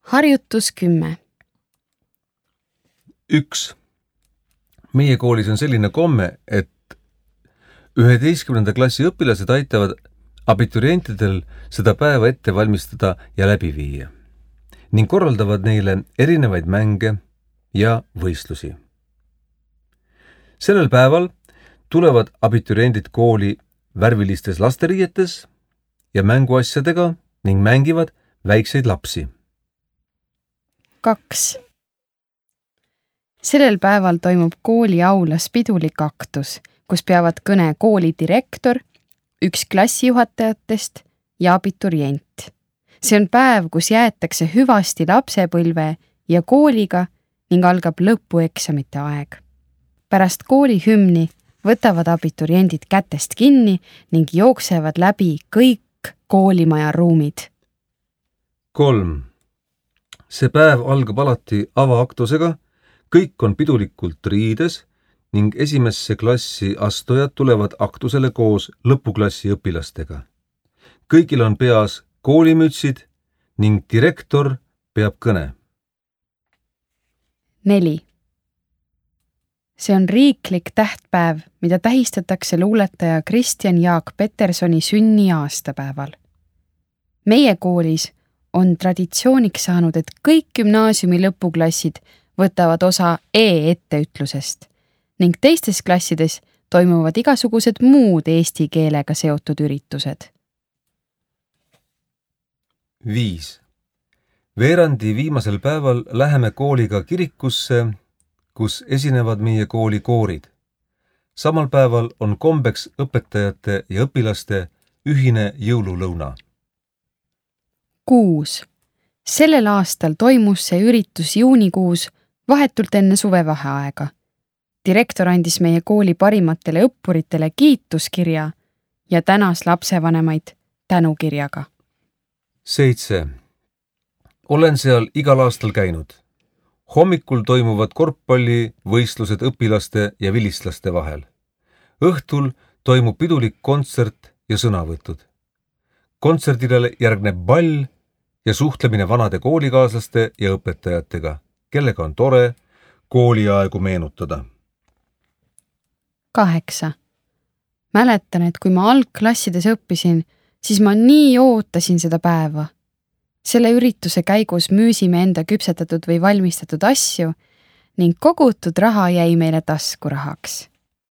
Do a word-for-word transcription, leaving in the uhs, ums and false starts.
Harjutus kümme. Üks. Meie koolis on selline komme, et üheteistkümnenda klassi õpilased aitavad abiturientidel seda päeva ette valmistada ja läbi viia ning korraldavad neile erinevaid mänge ja võistlusi. Sellel päeval tulevad abituriendid kooli värvilistes lasteriietes ja mänguasjadega ning mängivad väikseid lapsi. Kaks. Sellel päeval toimub kooli aulas pidulik aktus, kus peavad kõne kooli direktor, üks klassijuhatajatest ja abiturient. See on päev, kus jäetakse hüvasti lapsepõlve ja kooliga ning algab lõpueksamite aeg. Pärast kooli hümni võtavad abituriendid kätest kinni ning jooksevad läbi kõik koolimaja ruumid. Kolm. See päev algab alati avaaktusega, kõik on pidulikult riides ning esimesse klassi astujad tulevad aktusele koos lõpuklassi õpilastega. Kõigil on peas koolimütsid ning direktor peab kõne. Neli. See on riiklik tähtpäev, mida tähistatakse luuletaja Kristjan Jaak Petersoni sünni aastapäeval. Meie koolis on traditsiooniks saanud, et kõik gümnaasiumi lõpuklassid võtavad osa e-etteütlusest ning teistes klassides toimuvad igasugused muud eesti keelega seotud üritused. Viis. Veerandi viimasel päeval läheme kooliga kirikusse, kus esinevad meie kooli koorid. Samal päeval on kombeks õpetajate ja õpilaste ühine jõululõuna. Kuus. Sellel aastal toimus see üritus juunikuus vahetult enne suvevaheaega. Direktor andis meie kooli parimatele õppuritele kiituskirja ja tänas lapsevanemaid tänukirjaga. Seitse. Olen seal igal aastal käinud. Hommikul toimuvad korvpallivõistlused õpilaste ja vilistlaste vahel. Õhtul toimub pidulik kontsert ja sõnavõtud. Kontserdile järgneb ball ja suhtlemine vanade koolikaaslaste ja õpetajatega, kellega on tore kooliaegu meenutada. Kaheksa. Mäletan, et kui ma algklassides õppisin, siis ma nii ootasin seda päeva. Selle ürituse käigus müüsime enda küpsetatud või valmistatud asju ning kogutud raha jäi meile taskurahaks.